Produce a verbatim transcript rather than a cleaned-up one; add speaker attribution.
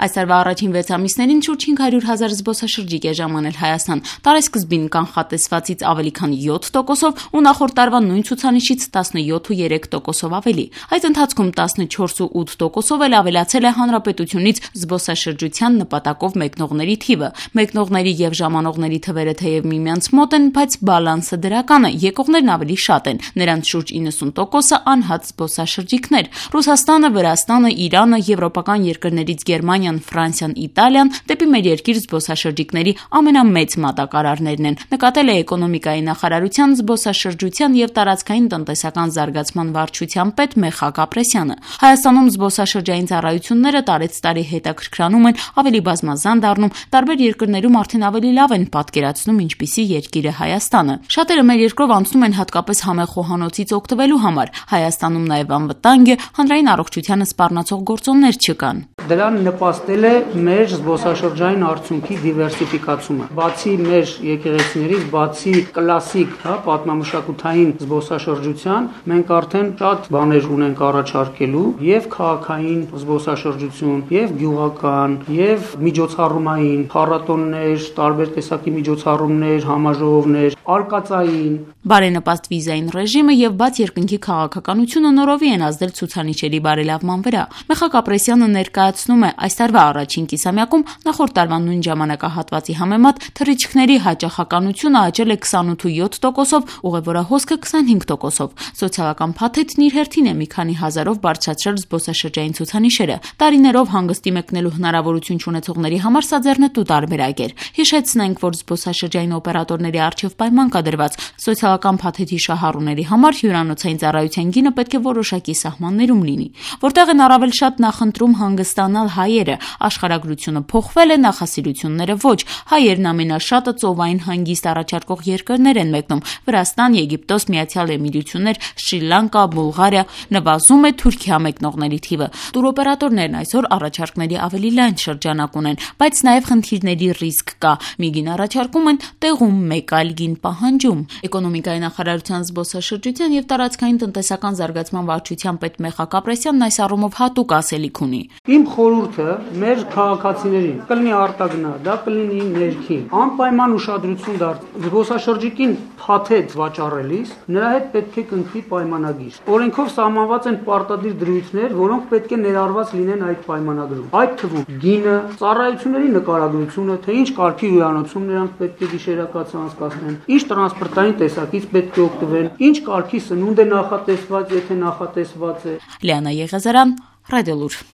Speaker 1: Այս տարվա առաջին վեց ամիսներին շուրջ հինգ հարյուր հազար զբոսաշրջիկ է ժամանել Հայաստան, տարեսկզբին կանխատեսվածից ավելի քան յոթ տոկոսով ու նախորդ տարվա նույն ցուցանիշից տասնյոթ ու երեք տոկոսով ավելի։ Այս ընթացքում տասնչորս ու ութ տոկոսով էլ ավելացել է հանրապետությունից զբոսաշրջության նպատակով մեկնողների թիվը։ Մեկնողների եւ ժամանողների թվերը թեև միմյանց մոտ են, բայց բալանսը դրական է, եկողներն ավելի շատ են, նրանց շուրջ իննսուն տոկոսը անհաց զբոսաշրջիկներ։ Ռուսաստանը, Վրաստանը, Իրանը, եվրոպական երկրներից Գերմանիան, Ֆրանսիան, Իտալիան դեպի մեր երկիր զբոսաշրջիկների ամենամեծ մատակարարներն են, նկատել է էկոնոմիկայի նախարարության զբոսաշրջության եւ տարածքային տնտեսական զարգացման վարչության պետ Մեխակ Ապրեսյանը։ Հայաստանում զբոսաշրջային ծառայությունները տարեց տարի հետաքրքրանում են, ավելի բազմազան դառնում, տարբեր երկրներում արդեն ավելի լավ են պատկերացնում ինչպիսի երկիր է Հայաստանը։ Շատերը մեր երկրով անցնում են հատկապես համեղ խոհանոցից օգտվելու համար։ Հայաստանում նաեւ անվտանգ է, հանրային առողջությանը սպառնացող գործոններ չկան։
Speaker 2: Դրան նպաստել է մեր զբոսաշրջային արդյունքի դիվերսիֆիկացումը։ Բացի մեր եկեղեցիներից, բացի կլասիկ, հա, պատմամշակութային զբոսաշրջության, մենք արդեն շատ բաներ ունենք առաջարկելու եւ քաղաքային զբոսաշրջություն, եւ գյուղական, եւ միջոցառումային, փառատոններ, տարբեր տեսակի միջոցառումներ, համաժողովներ, արկածային,
Speaker 1: բարենպաստ վիզային ռեժիմը եւ բաց երկնքի քաղաքականությունը նորովի են ազդել ցուցանիշերի բարելավման վրա։ Մեխակ Ապրեսյանը ներկայացնում է, այս տարվա առաջին կիսամյակում նախորդ տարվա նույն ժամանակահատվածի համեմատ թռիչքների հաճախականությունը աճել է քսանութ ու յոթ տոկոսով, ուղևորահոսքը քսանհինգ տոկոսով։ Սոցիալական փաթեթն իր հերթին է մի քանի հազարով բարձրացրել զբոսաշրջային ցուցանիշերը։ Տարիներով հանգստի մեկնելու հնարավորություն չունեցողների համար սա ձեռնտու տարբերակ էր։ Հիշեցնենք, որ զբոսաշրջային օպերատորների առջև պայման կա դրված։ Սոցիալական փաթեթի շահառուների համար հյուրանոցային ծառայության գինը պետք է որոշակի սահմաններում լինի, որտեղ են առավել շատ նախընտրում հանգստանալ հայերը։ Աշխարհագրությունը փոխվել է, նախասիրությունները ոչ։ Հայերն ամենաշատը ծովային հանգիստ առաջարկող երկրներ են մեկնում՝ Վրաստան, Եգիպտոս, Միացյալ Էմիրություններ, Շրի Լանկա, Բուլղարիա, նվազում է Թուրքիա մեկնողների թիվը։ Տուրօպերատորներն այսօր առաջարկների ավելի լայն շրջանակ ունեն, բայց նաև խնդիրների ռիսկ կա։ Մի գին առաջարկում են, տեղում մեկ այլ գին պահանջում։ Էկոնոմիկայի նախարարության զբոսաշրջության եւ տարածքային տնտեսական զարգացման վարչության պետ Մեխակ Ապրեսյանն այս առումով հատուկ ասելիք ունի։
Speaker 2: Իմ խորհուրդը մեր քաղաքացիներին կլինի արտագնա, դա կլինի ներքին, անպայման ուշադրություն դարձնել զբոսաշրջիկին փաթեթ վաճառելիս, նրա հետ պետք է կնքվի պայմանագիր։ Օրենքով սահմանված են պարտադիր դրույթներ, որոնք պետք է ներառված լինեն այդ պայմանագրում։ Այդ թվում գինը, ծառայությունների նկարագրությունը, թե ինչ կարգի հյուրանոցում նրանք պետք է գիշերակացը անցկացնեն, ինչ տրանսպորտային տեսակից պետք է օգտվեն, ինչ կարգի սնունդ է նախատեսված, եթե նախատեսված է։
Speaker 1: Լիանա Եղեզարյան, Ռադիոլուր։